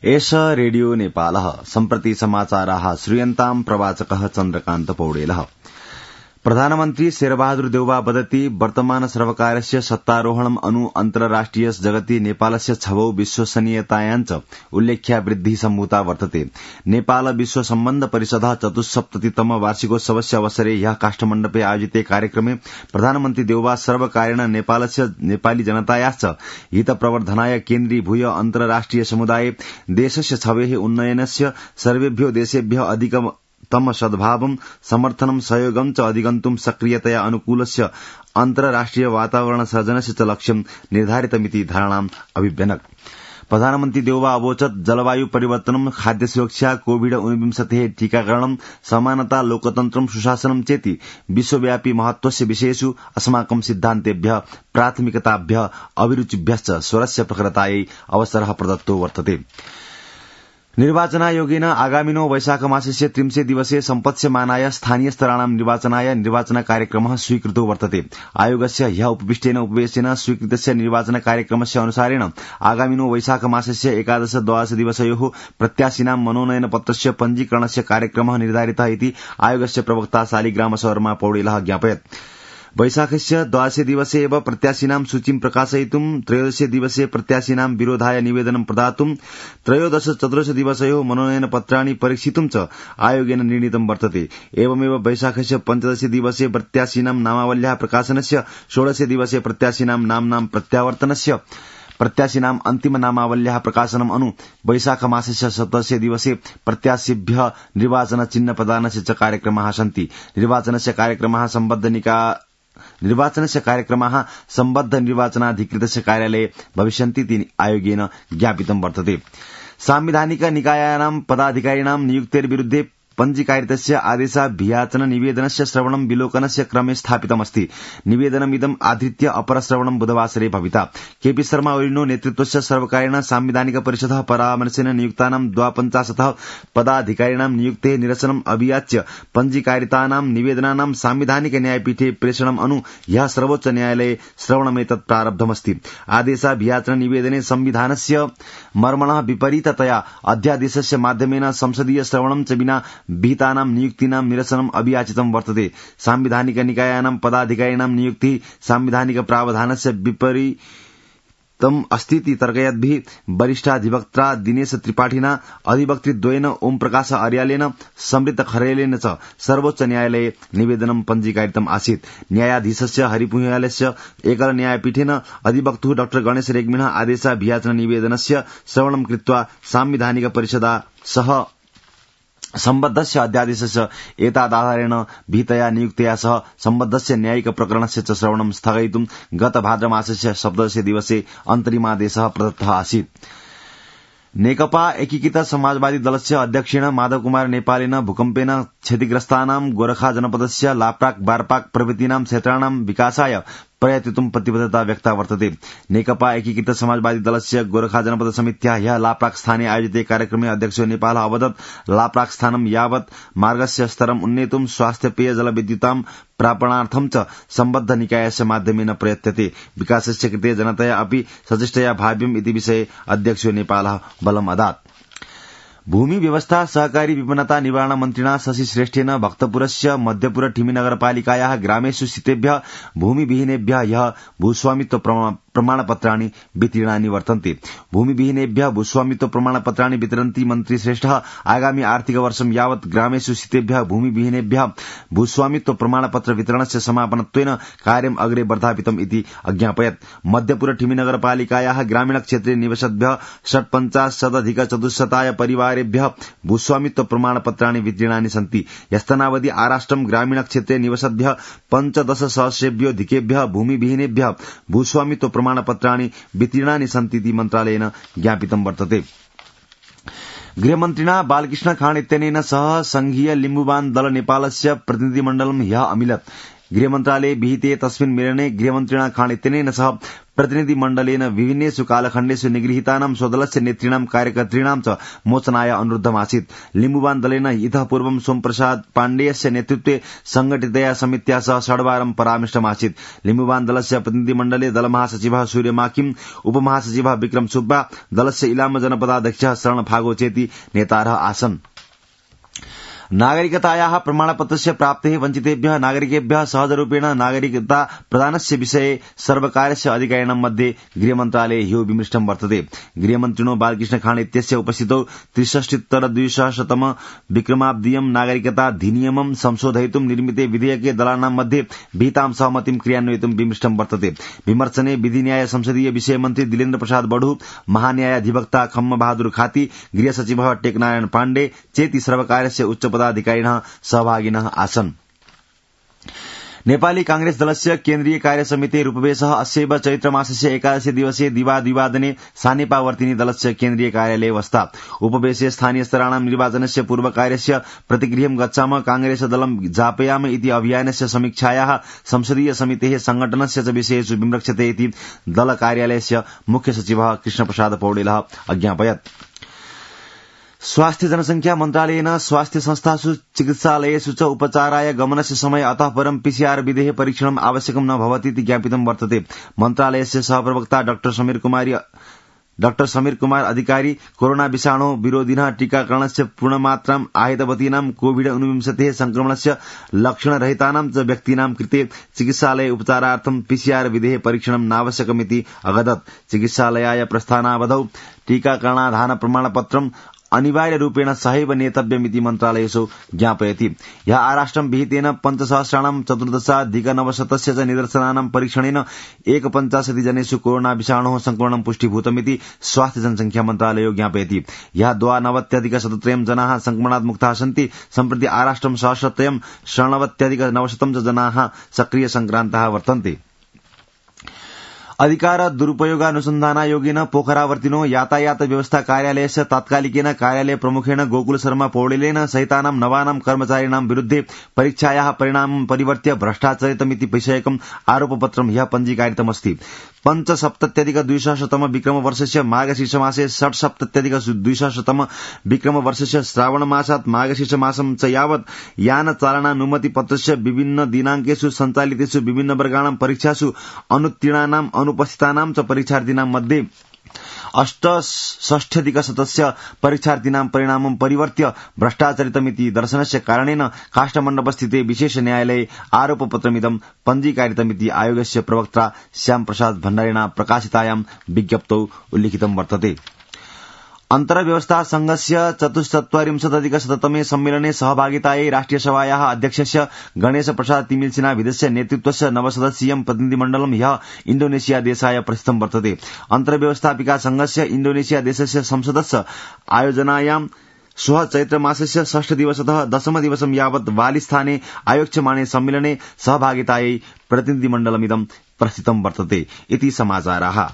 एष रेडियो नेपालः सम्प्रति समाचाराः श्रूयन्ताम् प्रवाचकः चन्द्रकान्त पौडेलः। प्रधानमन्त्री शेरबहादुर देउवा वदति वर्तमान सर्वकारस्य सत्तारोहणम् अनु अन्तर्राष्ट्रिय जगति नेपालस्य छवौ विश्वसनीयतायाञ्च उल्लेख्या वृद्धि सम्भूता वर्तते। नेपाल विश्व सम्बन्ध परिषदः 74तम वार्षिकोत्सवस्य अवसरे ह्यः काष्ठमण्डपे आयोजिते कार्यक्रमे प्रधानमन्त्री देउवा सर्वकारेण नेपालस्य नेपाली जनतायाश्च हितप्रवर्धनाय केन्द्रीभूय अन्तर्राष्ट्रिय समुदाये देशस्य छवेः उन्नयनस्य सर्वेभ्यो देशेभ्यः अधिकतम सद्भावं समर्थनं सहयोगं च अधिगन्तुं सक्रियतया अनुकूलस्य अन्तर्राष्ट्रिय वातावरण सर्जनस्य च लक्ष्यं निर्धारितमिति धारणाम् अभिव्यनक्। प्रधानमन्त्री देउवा अवोचत् जलवायु परिवर्तनं खाद्य सुरक्षा कोविड-19 टीकाकरणं समानता लोकतन्त्रं सुशासनं चेति विश्वव्यापी महत्वस्य विषयेषु अस्माकं सिद्धान्तेभ्यः प्राथमिकताभ्यः अभिरुचिभ्यश्च स्वरस्य प्रखरतायै अवसरः प्रदत्तो वर्तते। निर्वाचनायोगेन आगामिनो वैशाखमासस्य 30 दिवसे सम्पत्स्यमानाय स्थानीय स्तराणां निर्वाचनाय निर्वाचन कार्यक्रमः स्वीकृतो वर्तते। आयोगस्य ह्यः उपविष्टेन उपवेशनेन स्वीकृतस्य निर्वाचन कार्यक्रमस्य अनुसारेण आगामिनो वैशाखमासस्य 11-12 दिवसयोः प्रत्याशिनां मनोनयन पत्रस्य पञ्जीकरणस्य कार्यक्रमः निर्धारितः इति आयोगस्य प्रवक्ता शालिग्राम शर्मा पौडेलः ज्ञापयत्। वैशाखस्य 12 दिवसे एव प्रत्याशिनां सूचीं प्रकाशयितुं 13 दिवसे प्रत्याशिनां विरोधाय निवेदनं प्रदातुं 13-14 दिवसयोः मनोनयन पत्राणि परीक्षितुं च आयोगेन निर्णीतं वर्तते। एवमेव वैशाखस्य 15 दिवसे प्रत्याशिनां नामावल्याः प्रकाशनस्य 16 दिवसे प्रत्याशिनां नाम्नां प्रत्यावर्तनस्य प्रत्याशिनां अन्तिम नामावल्याः प्रकाशनम् अनु वैशाखमासस्य 17 दिवसे प्रत्याशिभ्यः निर्वाचन चिह्न प्रदानस्य च कार्यक्रमाः सन्ति। निर्वाचनस्य कार्यक्रमाः सम्बद्ध निर्वाचनाधिकृतस्य कार्यालये भविष्यन्ति इति आयोगेन ज्ञापितं वर्तते। सांविधानिक निकायानां पदाधिकारिणां नियुक्तेर्विरुद्धे पञ्जीकारितस्य आदेशाभियाचन निवेदनस्य श्रवणं विलोकनस्य क्रमे स्थापितमस्ति। निवेदनमिदम् आधृत्य अपरश्रवणं बुधवासरे भविता। केपी शर्मा ओलीनो नेतृत्वस्य सर्वकारेण सांविधानिक परिषदः परामर्शेन नियुक्तानां 52 पदाधिकारिणां नियुक्तेः निरसनम् अभियाच्य पञ्जीकारितानां निवेदनानां सांविधानिक न्यायपीठे प्रेषणम् अनु ह्यः सर्वोच्च न्यायालये श्रवणमेतत् प्रारब्धमस्ति। आदेशाभियाचन निवेदने संविधानस्य मर्मणः विपरीततया अध्यादेशस्य माध्यमेन संसदीय श्रवणं च विना विहितानां नियुक्तीनां निरसनम् अभियाचितं वर्तते। सांविधानिक निकायानां पदाधिकारिणां नियुक्तिः सांविधानिक प्रावधानस्य विपरीतम् अस्तीति तर्कयद्भिः वरिष्ठाधिवक्त्रा दिनेश त्रिपाठिना अधिवक्तृद्वयेन ओम प्रकाश आर्यालेन समृत खरेलेन च सर्वोच्च न्यायालये निवेदनं पञ्जीकारितम् आसीत्। न्यायाधीशस्य हरिपुंयालस्य एकल न्यायपीठेन अधिवक्तुः डॉ गणेश रेग्मिणः आदेशाभियाचन निवेदनस्य श्रवणं कृत्वा सांविधानिक परिषदा सह सम्बद्धस्य अध्यादेशस्य एतादाधारेण विहितया नियुक्तया सह सम्बद्धस्य न्यायिक प्रकरणस्य च श्रवणं स्थगयितुं गत भाद्रमासस्य 17 दिवसे अन्तरिमादेशः प्रदत्तः आसीत्। नेकपा एकीकृत समाजवादी दलस्य अध्यक्षेण माधव कुमार नेपालेन भूकम्पेन क्षतिग्रस्तानां गोरखा जनपदस्य लाप्राक बारपाक प्रभृतीनां क्षेत्राणां विकासाय प्रयतितुं प्रतिबद्धता व्यक्ता वर्तते। नेकपा एकीकृत समाजवादी दलस्य गोरखा जनपद समित्याः ह्यः लाप्राक स्थाने आयोजिते कार्यक्रमे अध्यक्षो नेपालः अवदत् लाप्राक स्थानं यावत् मार्गस्य स्तरम् उन्नेतुं स्वास्थ्य पेय जलविद्युतां प्रापणार्थं च सम्बद्ध निकायस्य माध्यमेन प्रयत्यते। विकासस्य कृते जनतया अपि सचेष्टया भाव्यम् इति विषये अध्यक्षो नेपालः बलम् अदात्। भूमि व्यवस्था सहकारी विपन्नता निवारण मन्त्रिणा शशि श्रेष्ठेन भक्तपुरस्य मध्यपुर ठिमी नगरपालिकायाः ग्रामेषु स्थितेभ्यः भूमिविहीनेभ्यः ह्यः भूस्वामित्व प्रमाणपत्राणि वितीर्णानि वर्तन्ते। भूमिविहीनेभ्यः भूस्वामित्व प्रमाणपत्राणि वितरन्ति मन्त्री श्रेष्ठः आगामी आर्थिक वर्षं यावत् ग्रामेषु स्थितेभ्यः भूमिविहीनेभ्यः भूस्वामित्व प्रमाणपत्र वितरणस्य समापनत्वेन कार्यम् अग्रे वर्धापितम् इति अज्ञापयत्। मध्यपुर ठिमी नगरपालिकायाः ग्रामीण क्षेत्रे निवसद्भ्यः 47,400 परिवारेभ्यः भूस्वामित्व प्रमाणपत्राणि वितीर्णानि सन्ति। ह्यस्तनावधि आराष्ट्रं ग्रामीण क्षेत्रे निवसद्भ्यः 15,000 भूमिविहीनेभ्यः भूस्वामित्व प्रमाणपत्राणि वितीर्णानि सन्ति इति मन्त्रालयेन ज्ञापितं वर्तते। गृहमन्त्रिणा बालकृष्ण खाँड इत्यनेन सह संघीय लिम्बुवान दल नेपालस्य प्रतिनिधिमण्डलं ह्यः अमिलत्। गृहमन्त्रालये विहिते तस्मिन् मेलने गृहमन्त्रिणा खान इत्यनेन सह प्रतिनिधिमण्डलेन विभिन्नेषु कालखण्डेषु निगृहीतानां स्वदलस्य नेतॄणां कार्यकर्तॄणां च मोचनाय अनुरोधमासीत्। लिम्बुवान दलेन इतः पूर्वं सोमप्रसाद पाण्डेयस्य नेतृत्वे संघटितया समित्या सह षड्वारं परामृष्टमासीत्। लिम्बुवान दलस्य प्रतिनिधिमण्डले दलमहासचिवः सूर्य माकिम, उपमहासचिवः विक्रम सुब्बा, दलस्य इलाम जनपदाध्यक्षः शरण फागो चेति नेतारः आसन्। नागरिकतायाः प्रमाणपत्रस्य प्राप्तेः वञ्चितेभ्यः नागरिकेभ्यः सहजरूपेण नागरिकता प्रदानस्य विषये सर्वकारस्य अधिकारिणां मध्ये गृहमन्त्रालये ह्यो विमृष्टं वर्तते। गृहमन्त्रिणो बालकृष्ण खान इत्यस्य उपस्थितौ 63-200 विक्रमाब्दीयं नागरिकताधिनियमं संशोधयितुं निर्मिते विधेयके दलानां मध्ये विहितां सहमतिं क्रियान्वयितुं विमृष्टं वर्तते। विमर्शने विधिन्याय संसदीय विषय मन्त्री दिलेन्द्र प्रसाद बढु, महान्यायाधिवक्ता खम्म बहादुर खाती, गृहसचिवः टेकनारायण पाण्डे चेति सर्वकारस्य उच्च पदाधिकारिणः सहभागिनः आसन्। नेपाली कांग्रेस दलस्य केन्द्रीय कार्यसमिति रूपवेशः अस्यैव चैत्रमासस्य 11 दिवसे दिवादिवादने सानेपावर्तिनी दलस्य केन्द्रीय कार्यालये वस्ता। उपवेशे स्थानीय स्तराणां निर्वाचनस्य पूर्वकार्यस्य प्रतिगृहं गच्छामः, कांग्रेस दलं जापयाम इति अभियानस्य समीक्षायाः संसदीय समितेः संघटनस्य च विषयेषु विमृक्षते इति दल कार्यालयस्य मुख्य सचिवः कृष्णप्रसाद पौडेलः अज्ञापयत्। स्वास्थ्य जनसंख्या मन्त्रालयेन स्वास्थ्य संस्थासु चिकित्सालयेषु च उपचाराय गमनस्य समय अतः परं पीसीआर विधेः परीक्षणम् आवश्यकं न भवति इति ज्ञापितं वर्तते। मन्त्रालयस्य सहप्रवक्ता डाक्टर समीर कुमार अधिकारी कोरोना विषाणु विरोधिनः टीकाकरणस्य पूर्णमात्राम् आहूतवतीनां कोविड-19 संक्रमणस्य लक्षणरहितानां च व्यक्तीनां कृते चिकित्सालये उपचारार्थं पीसीआर विधेः परीक्षणं नावश्यकमिति अवदत्। चिकित्सालयाय प्रस्थानावधौ टीकाकरणाधान प्रमाणपत्रम् अनिवार्य रूपेण सहैव नेतव्यमिति मन्त्रालयेषु ज्ञापयति। यः आराष्ट्रं विहितेन 5,014,900 च निदर्शनानां परीक्षणेन 51 जनेषु कोरोना विषाणोः संक्रमणं पुष्टीभूतमिति स्वास्थ्य जनसंख्या मन्त्रालयो ज्ञापयति। यः 92,103 जनाः संक्रमणात् मुक्ताः सन्ति। सम्प्रति आराष्ट्रं सहस्रत्रयं 93,900 च जनाः सक्रिय संक्रान्ताः वर्तन्ते। अधिकार दुरुपयोगानुसन्धानायोगेन पोखरावर्तिनो यातायात व्यवस्था कार्यालयस्य तात्कालिकेन कार्यालय प्रमुखेण गोकुल शर्मा पौडेलेन सहितानां नवानां कर्मचारिणां विरुद्धे परीक्षायाः परिणामं परिवर्त्य भ्रष्टाचरितमिति विषयकम् आरोपपत्रं ह्यः पञ्जीकारितमस्ति। 5,070,200 विक्रमवर्षस्य मार्गशीर्षमासे 6,070,200 विक्रमवर्षस्य श्रावणमासात् मार्गशीर्षमासं च यावत् यानचालनानुमतिपत्रस्य विभिन्न दिनाङ्केषु सञ्चालितेषु विभिन्न वर्गाणां परीक्षासु अनुत्तीर्णानाम् अनुपस्थितानां च परीक्षार्थीनां मध्ये 68,000 परीक्षार्थीनां परिणामं परिवर्त्य भ्रष्टाचरितमिति दर्शनस्य कारणेन काष्ठमण्डपस्थिते विशेष न्यायालये आरोपपत्रमिदं पञ्जीकारितमिति आयोगस्य प्रवक्ता श्यामप्रसाद भण्डारिणा प्रकाशितायां विज्ञप्तौ उल्लिखितं वर्तते। अन्तर्व्यवस्था संघस्य 44,000तमे सम्मेलने सहभागितायै राष्ट्रियसभायाः अध्यक्षस्य गणेश प्रसाद तिमिल विदस्य नेतृत्वस्य नवसदस्यीयं प्रतिनिधिमण्डलं ह्यः इण्डोनेशिया देशाय प्रस्थितं वर्तते। अन्तर्व्यवस्थापिका संघस्य इण्डोनेशिया देशस्य संसदस्य आयोजनायां श्वः चैत्रमासस्य 6 दिवसतः 10 दिवसं यावत् बालिस्थाने आयोक्ष्यमाणे सम्मेलने सहभागितायै प्रतिनिधिमण्डलमिदं प्रस्थितं वर्तते इति समाचाराः।